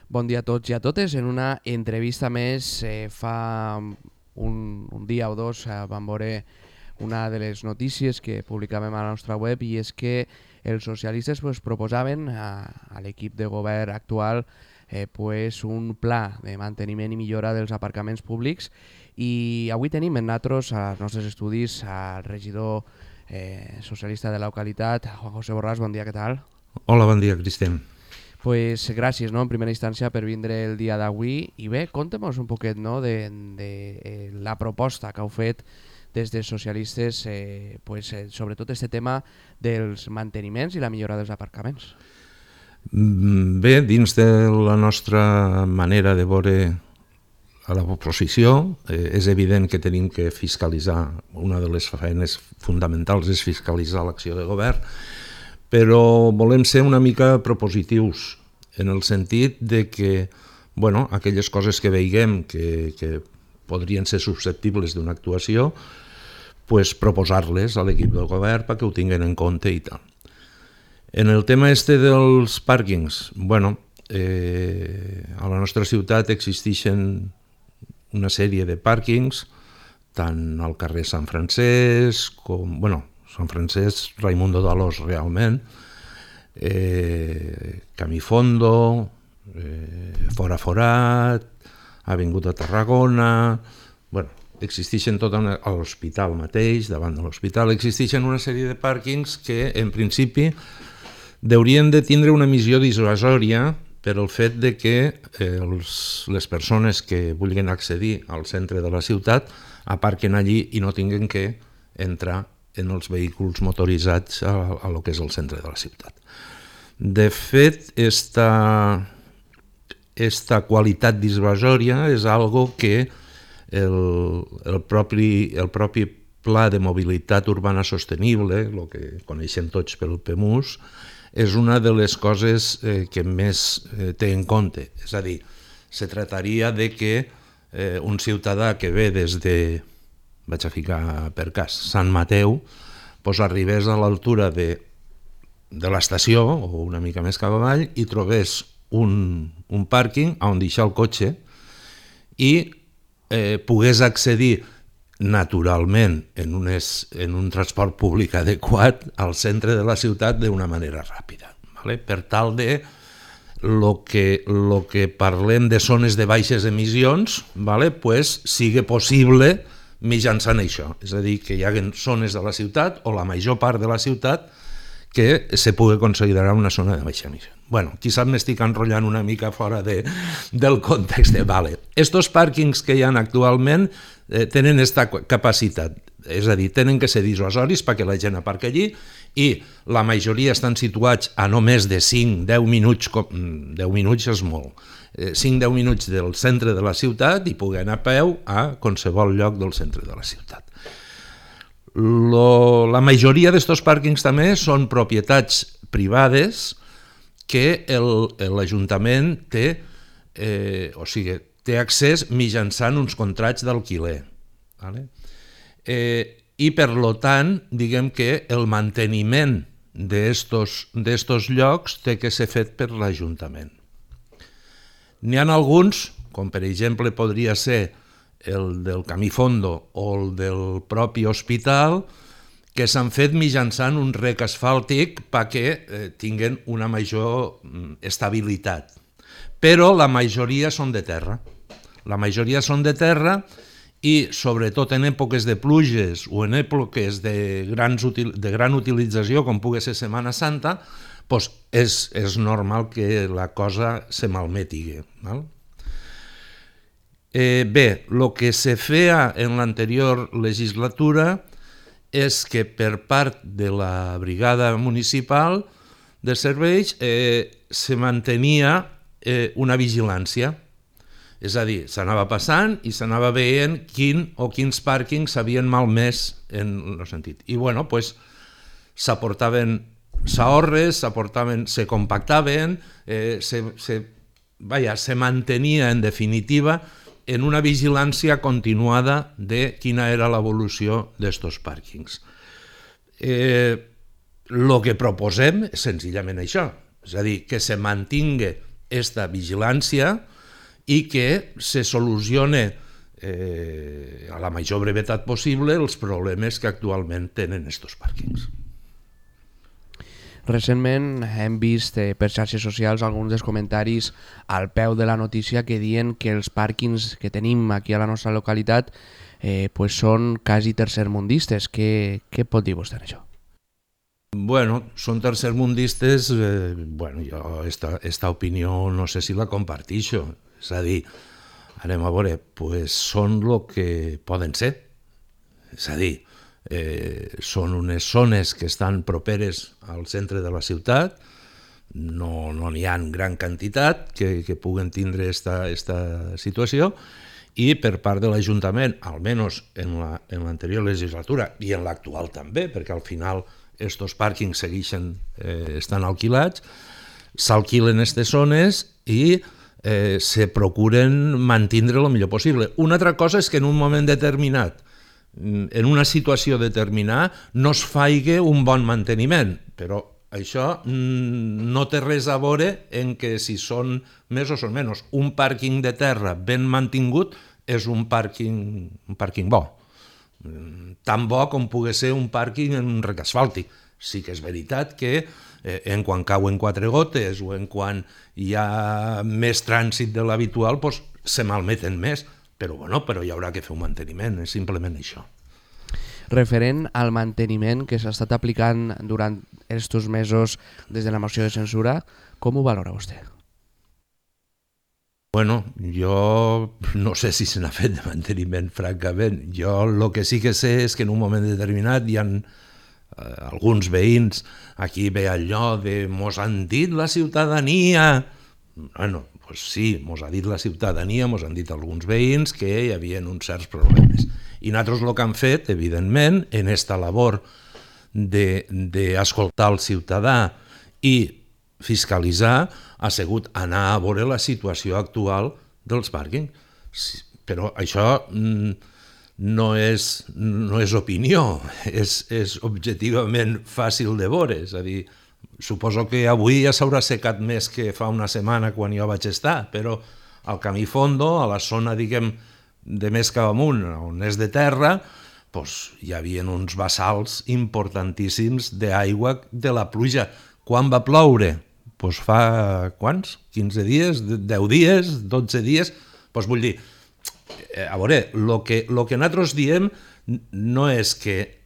Bon dia a tots i a totes. En una entrevista més fa un dia o dos vam veure una de les notícies que publicàvem a la nostra web, i és que els socialistes proposaven a l'equip de govern actual un pla de manteniment i millora dels aparcaments públics, i avui tenim en nosaltres als nostres estudis al regidor socialista de la localitat, Juan José Borràs. Bon dia, què tal? Hola, bon dia, Cristian. Pues gràcies, no, en primera instància per vindre el dia d'avui, i bé, conta'm un poquet, no, de la proposta que heu fet des dels socialistes, sobretot este tema dels manteniments i la millora dels aparcaments. Bé, dins de la nostra manera de veure a l'oposició, és evident que tenim que fiscalitzar. Una de les feines fonamentals és fiscalitzar l'acció de govern, però volem ser una mica propositius en el sentit de que aquelles coses que veiguem que podrien ser susceptibles d'una actuació, proposar-les a l'equip del govern perquè ho tinguin en compte i tal. En el tema dels pàrquings, a la nostra ciutat existeixen una sèrie de pàrquings, tant al carrer Sant Francesc com... Sant Francesc, Raimundo d'Alòs, realment, Camí Fondo, Fora Forat, Avinguda Tarragona... Existeixen tot a l'hospital mateix, davant de l'hospital, existeixen una sèrie de pàrquings que, en principi, haurien de tindre una missió dissuasòria per el fet de que les persones que vulguin accedir al centre de la ciutat aparquen allí i no tinguin que entrar en els vehicles motoritzats a lo que és el centre de la ciutat. De fet, esta qualitat dissuasòria és algo que el propi Pla de Mobilitat Urbana Sostenible, el que coneixem tots pel PEMUS, és una de les coses que més té en compte. És a dir, se trataria de que un ciutadà que ve des de, vaig a ficar per cas, Sant Mateu, arribés a l'altura de l'estació o una mica més cap avall i trobés un pàrquing on deixar el cotxe i pogués accedir naturalment en un transport públic adequat al centre de la ciutat d'una manera ràpida. Per tal de lo que parlem de zones de baixes emissions sigui possible mitjançant això. És a dir, que hi hagi zones de la ciutat o la major part de la ciutat que se pugui considerar una zona de baixa emissió. Quizás m'estic enrotllant una mica fora del context. Estos pàrquings que hi ha actualment tenen aquesta capacitat, és a dir, tenen que ser dissuasoris perquè la gent aparca allí, i la majoria estan situats a no més de 5-10 minuts, 10 minuts és molt, 5-10 minuts del centre de la ciutat i poder anar a peu a qualsevol lloc del centre de la ciutat. La majoria d'aquests pàrquings també són propietats privades que l'Ajuntament té accés mitjançant uns contrats d'alquiler. I per tant, diguem que el manteniment d'estos llocs té que ser fet per l'Ajuntament. N'hi ha alguns, com per exemple podria ser el del Camí Fondo o el del propi hospital, que s'han fet mitjançant un rec asfàltic perquè tinguin una major estabilitat. Però la majoria són de terra. La majoria són de terra i, sobretot en èpoques de pluges o en èpoques de gran utilització, com pugui ser Setmana Santa, és normal que la cosa se malmeti. Bé, el que se feia en l'anterior legislatura és que per part de la brigada municipal de serveis se mantenia una vigilància. És a dir, s'anava passant i s'anava veient quins pàrquings s'havien malmès en el sentit. I s'aportaven s'ahorres, se compactaven, se mantenia en definitiva en una vigilància continuada de quina era l'evolució d'estos pàrquings. El que proposem és senzillament això, és a dir, que se mantingui esta vigilància i que se solucione a la major brevetat possible els problemes que actualment tenen estos pàrquings. Recentment hem vist per xarxes socials alguns dels comentaris al peu de la notícia que diuen que els pàrquings que tenim aquí a la nostra localitat són quasi tercermundistes. Què pot dir vostè en això? Bueno, són tercermundistes, jo esta opinió no sé si la compartixo, és a dir, anem a veure, són el que poden ser, és a dir, són unes zones que estan properes al centre de la ciutat, no n'hi ha gran quantitat que puguen tindre esta situació, i per part de l'Ajuntament, almenys en l'anterior legislatura i en l'actual també, perquè al final estos pàrquings segueixen estan alquilats, s'alquilen aquestes zones i se procuren mantindre el millor possible. Una altra cosa és que en un moment determinat, en una situació determinada, no es faci un bon manteniment, però això no té res a veure en que si són més o són menys. Un pàrquing de terra ben mantingut és un pàrquing bo. Tan bo com pugui ser un pàrquing en un rec asfàltic. Sí que és veritat que en quan cauen 4 gotes o en quan hi ha més trànsit de l'habitual se malmeten més, però hi haurà que fer un manteniment, és simplement això. Referent al manteniment que s'ha estat aplicant durant aquests mesos des de la moció de censura, com ho valora vostè? Bueno, jo no sé si se n'ha fet de manteniment, francament. Jo el que sí que sé és que en un moment determinat hi ha alguns veïns, aquí ve allò de mos han dit la ciutadania. Bueno, doncs sí, mos ha dit la ciutadania, mos han dit alguns veïns que hi havia uns certs problemes. I nosaltres el que hem fet, evidentment, en esta labor d'escoltar el ciutadà i fiscalitzar, ha sigut anar a veure la situació actual dels pàrquings. Però això no és opinió, és objectivament fàcil de veure. És a dir, suposo que avui ja s'haurà secat més que fa una setmana quan jo vaig estar, però al camí fondo, a la zona, diguem, de més cap amunt, on és de terra, hi havia uns bassals importantíssims d'aigua de la pluja. Quan va ploure? Fa quants? 15 dies? 10 dies? 12 dies? Vull dir, a veure, el que nosaltres diem no és que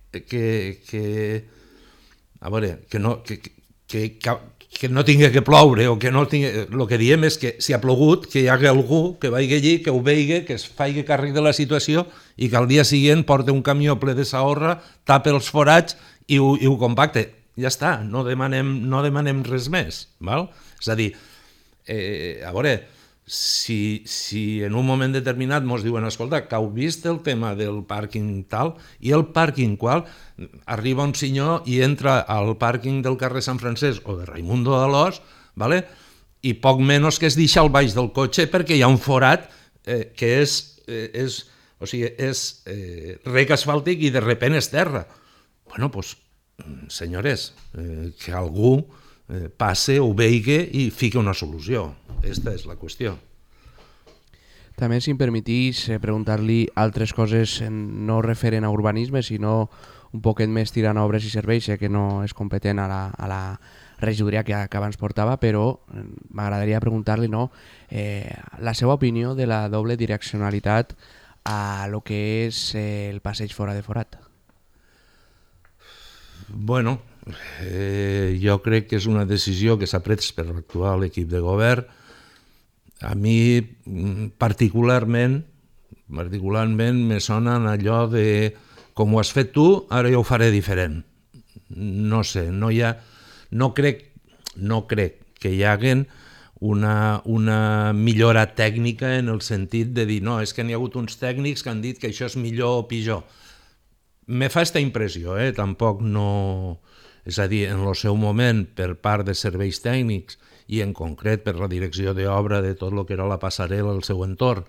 no tingui que ploure o que no tingui... El que diem és que si ha plogut, que hi hagi algú que vagi allí, que ho vegi, que es faci càrrec de la situació i que al dia següent porti un camió ple de sorra, tape els forats i ho compacte. Ja està, no demanem res més. Val? És a dir, a veure, si en un moment determinat ens diuen, escolta, que heu vist el tema del pàrquing tal, i el pàrquing qual, arriba un senyor i entra al pàrquing del carrer Sant Francesc o de Raimundo d'Alòs, i poc menys que es deixa al baix del cotxe perquè hi ha un forat que és rec asfàltic i de repent és terra. Bueno, doncs, senyores, que algú passe, ho vegi i fiqui una solució. Aquesta és la qüestió. També, si em permetís, preguntar-li altres coses no referent a urbanisme, sinó un poquet més tirant a obres i serveis, que no és competent a la regidoria que abans portava, però m'agradaria preguntar-li la seva opinió de la doble direccionalitat a lo que és el passeig fora de forat. Bueno, jo crec que és una decisió que s'ha pres per l'actual equip de govern. A mi particularment me sona allò de com ho has fet tu, ara jo ho faré diferent. No sé, no crec que hi hagi una millora tècnica en el sentit de dir no, és que n'hi ha hagut uns tècnics que han dit que això és millor o pitjor. Me fa aquesta impressió, tampoc no... És a dir, en el seu moment, per part de serveis tècnics i en concret per la direcció d'obra de tot el que era la passarel·la al seu entorn,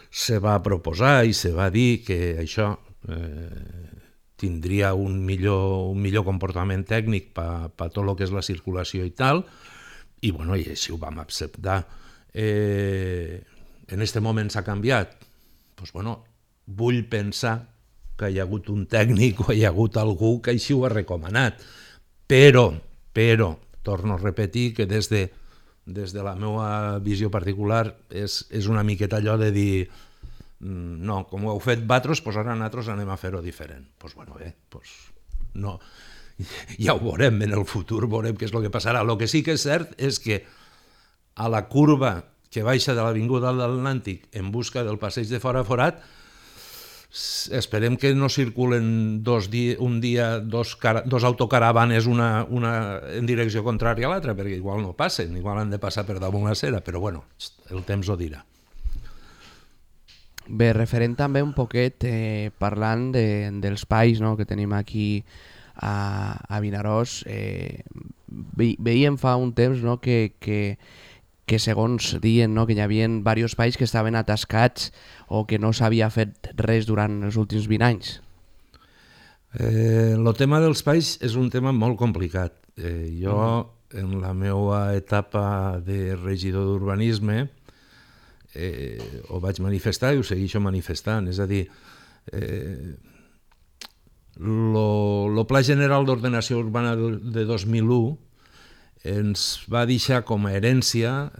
se va proposar i se va dir que això tindria un millor comportament tècnic per tot el que és la circulació i tal, i bueno, i així ho vam acceptar. En aquest moment s'ha canviat? Doncs bueno, vull pensar que hi ha hagut un tècnic o hi ha hagut algú que així ho ha recomanat, però, torno a repetir que des de la meva visió particular és una miqueta allò de dir no, com ho heu fet vosaltres, doncs ara nosaltres anem a fer-ho diferent. Doncs bueno, doncs no, ja ho veurem en el futur, veurem què és el que passarà. El que sí que és cert és que a la curva que baixa de l'Avinguda de l'Atlàntic en busca del passeig de Fora Forat, esperem que no circulen dos autocaravanes una en direcció contrària a l'altra, perquè igual no passen, igual han de passar per damunt la cera, però bueno, el temps ho dirà. Bé, referent també un poquet, parlant dels pais, no?, que tenim aquí a Vinaròs, veiem fa un temps, no?, que segons diuen, no?, que hi havia diversos pais que estaven atascats o que no s'havia fet res durant els últims 20 anys. El tema dels pais és un tema molt complicat. Jo, en la meva etapa de regidor d'urbanisme, ho vaig manifestar i ho segueixo manifestant. És a dir, el Pla General d'Ordenació Urbana de 2001 ens va deixar com a herència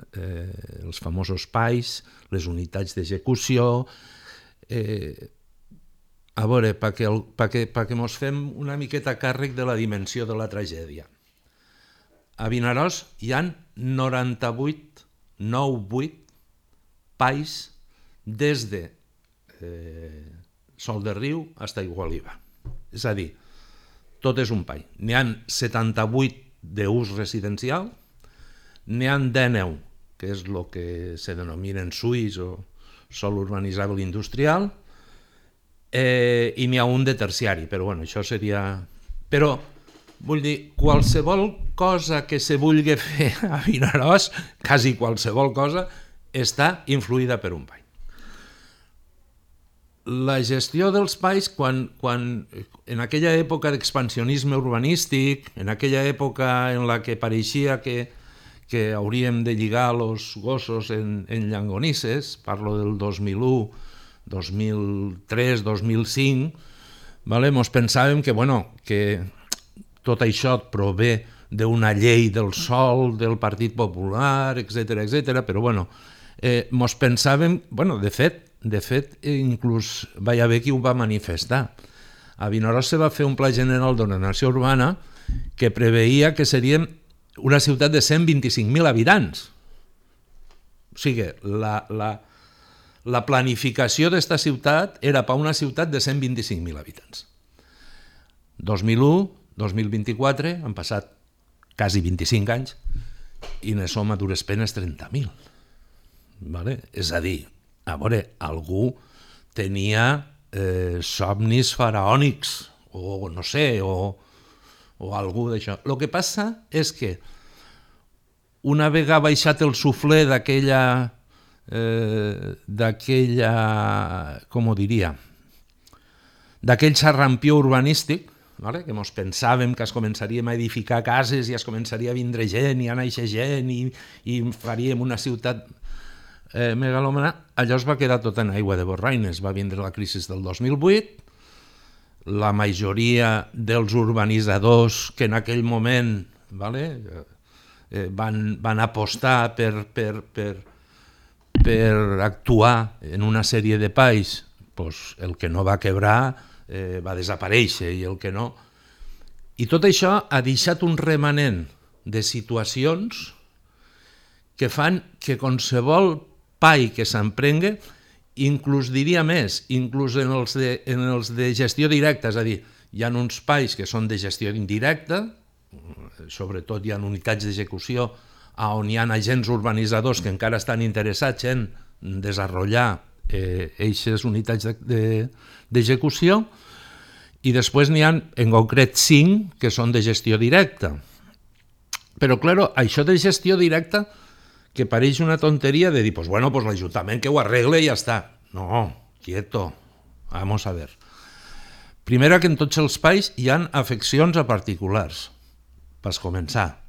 els famosos PAIs, les unitats d'execució. A veure, perquè mos fem una miqueta càrrec de la dimensió de la tragèdia. A Vinaròs hi ha 98 PAIs des de Sol de Riu fins a Igualiva. És a dir, tot és un PAI. N'hi ha 78 d'ús residencial, n'hi ha 19, que és el que se denominen SUIs o sòl urbanitzable industrial, i n'hi ha un de terciari, però bueno, això seria... Però, vull dir, qualsevol cosa que se vulgui fer a Vinaròs, quasi qualsevol cosa, està influïda per un PAI. La gestió dels PAIs, quan en aquella època d'expansionisme urbanístic, en aquella època en la que pareixia que hauríem de lligar els gossos en llangonisses, parlo del 2001, 2003, 2005, mos pensàvem que tot això prové d'una llei del sòl, del Partit Popular, etc., però mos pensàvem, de fet, inclús va haver qui ho va manifestar. A Vinaròs se va fer un Pla General d'Ordenació Urbana que preveia que seríem una ciutat de 125.000 habitants. O sigui, la planificació d'esta ciutat era per una ciutat de 125.000 habitants. 2001, 2024, han passat quasi 25 anys i ne som a dures penes 30.000. És a dir, a veure, algú tenia somnis faraònics, o no sé, o algú d'això. El que passa és que una vegada baixat el suflé d'aquella, com ho diria, d'aquell xarrampió urbanístic, que mos pensàvem que es començaríem a edificar cases i es començaria a vindre gent i a néixer gent i faríem una ciutat megalòmana, allò es va quedar tot en aigua de borraines. Va vindre la crisi del 2008, la majoria dels urbanitzadors que en aquell moment van apostar per actuar en una sèrie de pais, el que no va quebrar va desaparèixer i el que no... I tot això ha deixat un remanent de situacions que fan que qualsevol PAI que s'emprengue, inclús diria més, inclús en els de gestió directa, és a dir, hi ha uns PAIs que són de gestió indirecta, sobretot hi ha unitats d'execució on hi ha agents urbanitzadors que encara estan interessats en desenvolupar aquestes unitats d'execució, i després n'hi ha en concret 5 que són de gestió directa. Però, clar, això de gestió directa que pareix una tonteria de dir, pues l'Ajuntament que ho arregle i ja està. No, quieto, vamos a ver. Primera, que en tots els pais hi ha afeccions a particulars, per començar.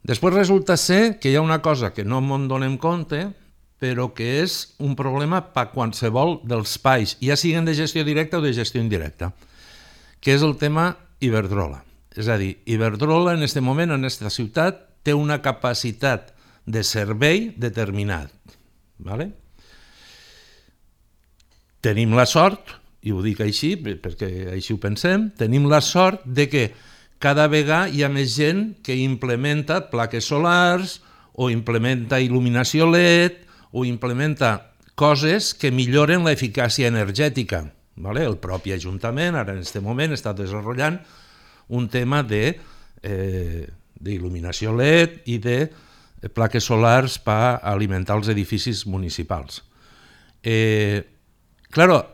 Després resulta ser que hi ha una cosa que no ens donem compte, però que és un problema per qualsevol dels pais, ja siguin de gestió directa o de gestió indirecta, que és el tema Iberdrola. És a dir, Iberdrola en aquest moment, en aquesta ciutat, té una capacitat de servei determinat. ¿Vale? Tenim la sort, i ho dic així perquè així ho pensem, tenim la sort de que cada vegada hi ha més gent que implementa plaques solars o implementa il·luminació LED o implementa coses que milloren l'eficàcia energètica. ¿Vale? El propi Ajuntament ara en aquest moment està desenvolupant un tema d'il·luminació LED i de plaques solars per alimentar els edificis municipals. Claro,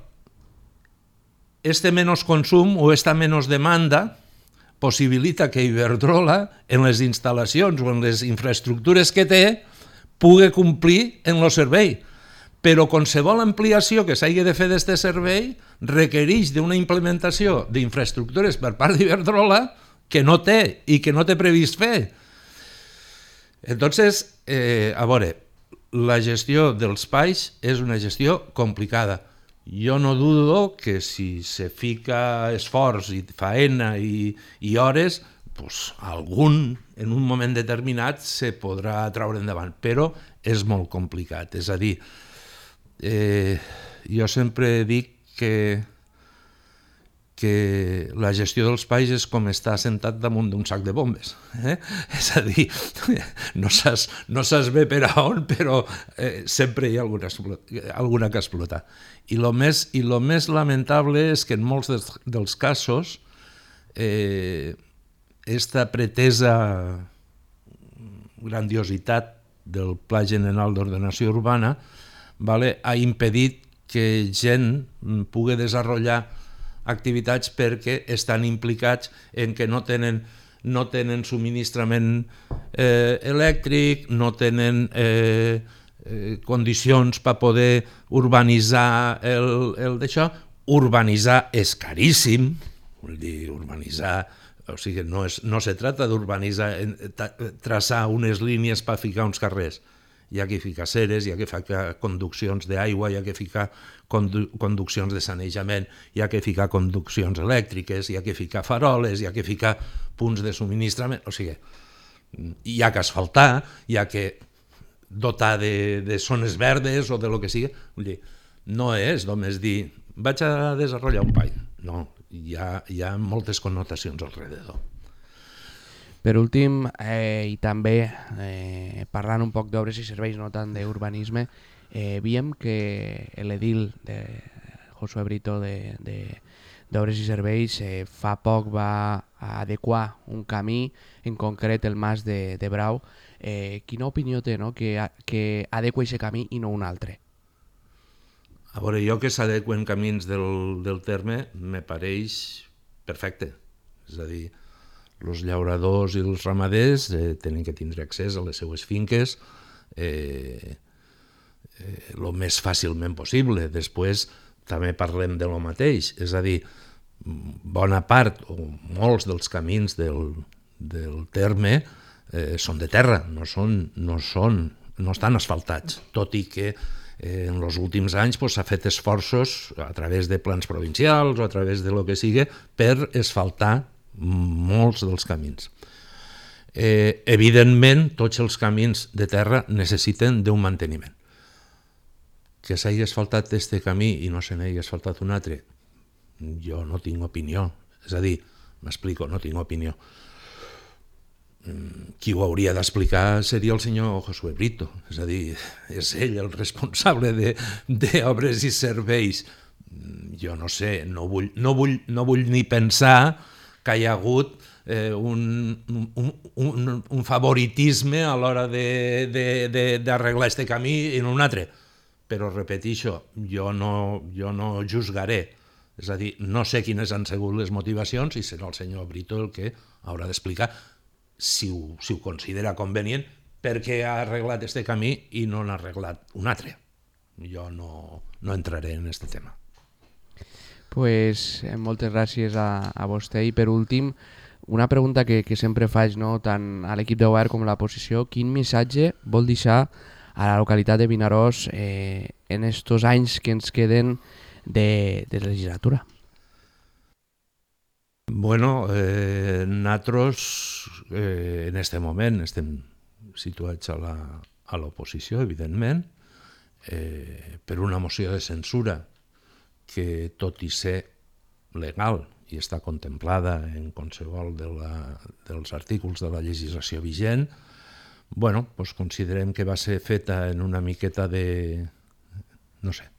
este menos consum o esta menos demanda possibilita que Iberdrola en les instal·lacions o en les infraestructures que té pugui complir en el servei. Però qualsevol ampliació que s'hagi de fer d'aquest servei requereix d'una implementació d'infraestructures per part d'Iberdrola que no té i que no té previst fer. Entonces, a veure, la gestió dels pais és una gestió complicada. Jo no dudo que si se fica esforç i faena i hores, pues, algun en un moment determinat se podrà treure endavant, però és molt complicat. És a dir, jo sempre dic que la gestió dels pais és com estar sentat damunt d'un sac de bombes. És a dir, no saps bé per a on, però sempre hi ha alguna que explotar. I el més lamentable és que en molts dels casos esta pretesa grandiositat del Pla General d'Ordenació Urbana ha impedit que gent pugui desenvolupar activitats perquè estan implicats en que no tenen subministrament elèctric, no tenen condicions per poder urbanitzar el d'això. Urbanitzar és caríssim, vull dir, urbanitzar, o sigui, no se tracta d'urbanitzar, traçar unes línies per ficar uns carrers. Hi ha que ficar ceres, hi ha que ficar conduccions d'aigua, hi ha que ficar conduccions de sanejament, hi ha que ficar conduccions elèctriques, hi ha que ficar faroles, hi ha que ficar punts de subministrament, o sigui, hi ha que asfaltar, hi ha que dotar de zones verdes o de lo que sigui. Vull dir, no és només dir, vaig a desenvolupar un pany. No, hi ha moltes connotacions alrededor. Per últim, i també parlant un poc d'obres i serveis, no tant d'urbanisme, veiem que l'edil de Josué Brito d'Obres i Serveis fa poc va adequar un camí, en concret el Mas de Brau. Quina opinió té, no? que adequa aquest camí i no un altre? A veure, jo que s'adequen camins del terme me pareix perfecte. És a dir, els llauradors i els ramaders tenen que tindre accés a les seues finques el més fàcilment possible. Després també parlem de lo mateix, és a dir, bona part o molts dels camins del terme són de terra, no estan asfaltats, tot i que en els últims anys s'ha fet esforços a través de plans provincials o a través de lo que sigui per asfaltar molts dels camins. Evidentment, tots els camins de terra necessiten d'un manteniment. Que s'hagi asfaltat aquest camí i no se n'hagi asfaltat un altre, jo no tinc opinió. És a dir, m'explico, no tinc opinió. Qui ho hauria d'explicar seria el senyor Josué Brito, és a dir, és ell el responsable d'obres i serveis. Jo no sé, no vull ni pensar que hi ha hagut un favoritisme a l'hora d'arreglar aquest camí en un altre. Però repeteixo, jo no juzgaré. És a dir, no sé quines han sigut les motivacions i serà el senyor Brito el que haurà d'explicar si ho considera convenient perquè ha arreglat aquest camí i no n'ha arreglat un altre. Jo no entraré en aquest tema. Pues moltes gràcies a vostè i per últim Una pregunta que sempre faig, no, tant a l'equip de govern com a l'oposició, quin missatge vol deixar a la localitat de Vinaròs en estos anys que ens queden de legislatura? Bueno, nosaltres en este moment estem situats a l'oposició, evidentment, per una moció de censura que, tot i ser legal i està contemplada en qualsevol dels artículos de la legislació vigent, bueno, doncs considerem que va ser feta en una miqueta de... no sé.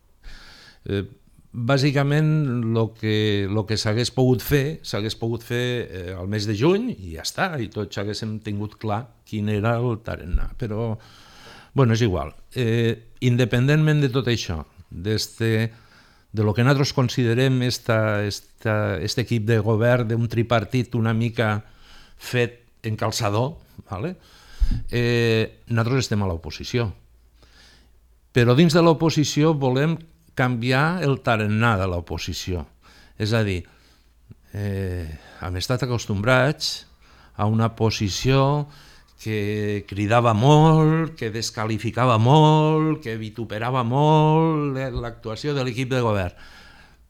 Bàsicament, el que s'hagués pogut fer al mes de juny i ja està, i tots haguéssim tingut clar quin era el tarannà. Però, bueno, és igual. Independentment de tot això, de lo que nosaltres considerem este equip de govern d'un tripartit una mica fet en calçador, ¿vale? Nosaltres estem a l'oposició. Però dins de l'oposició volem canviar el tarannà de l'oposició. És a dir, hem estat acostumbrats a una posició que cridava molt, que descalificava molt, que vituperava molt l'actuació de l'equip de govern.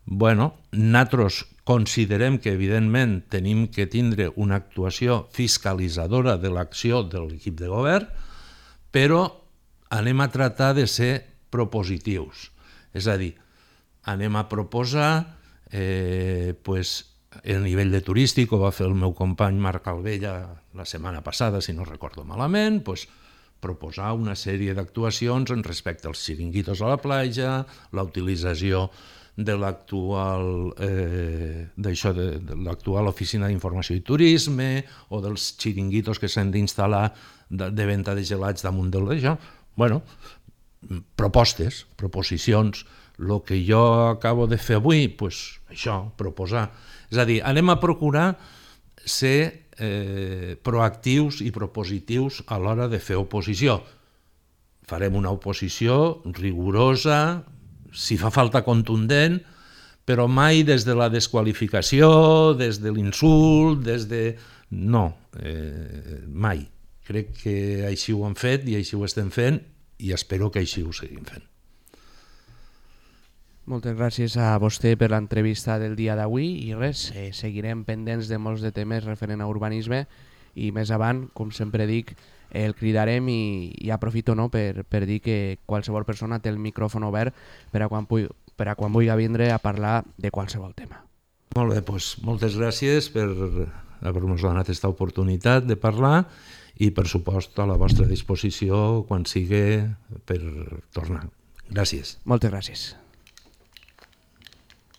Bueno, nosaltres considerem que, evidentment, tenim que tindre una actuació fiscalitzadora de l'acció de l'equip de govern, però anem a tratar de ser propositius. És a dir, anem a proposar el nivell de turístic, ho va fer el meu company Marc Alvella la setmana passada, si no recordo malament, proposar una sèrie d'actuacions en respecte als xiringuitos a la platja, la utilització de l'actual oficina d'informació i turisme o dels xiringuitos que s'han d'instal·lar de venda de gelats damunt d'això. Bueno, proposicions. El que jo acabo de fer avui, això, proposar. És a dir, anem a procurar ser proactius i propositius a l'hora de fer oposició. Farem una oposició rigorosa, si fa falta contundent, però mai des de la desqualificació, des de l'insult, No, mai. Crec que així ho hem fet i així ho estem fent i espero que així ho seguim fent. Moltes gràcies a vostè per l'entrevista del dia d'avui i res, seguirem pendents de molts de temes referent a urbanisme i més avant, com sempre dic, el cridarem i aprofito per dir que qualsevol persona té el micròfon obert per a quan vulgui vindre a parlar de qualsevol tema. Molt bé, moltes gràcies per haver-nos donat aquesta oportunitat de parlar i, per supost, a la vostra disposició quan sigui per tornar. Gràcies. Moltes gràcies.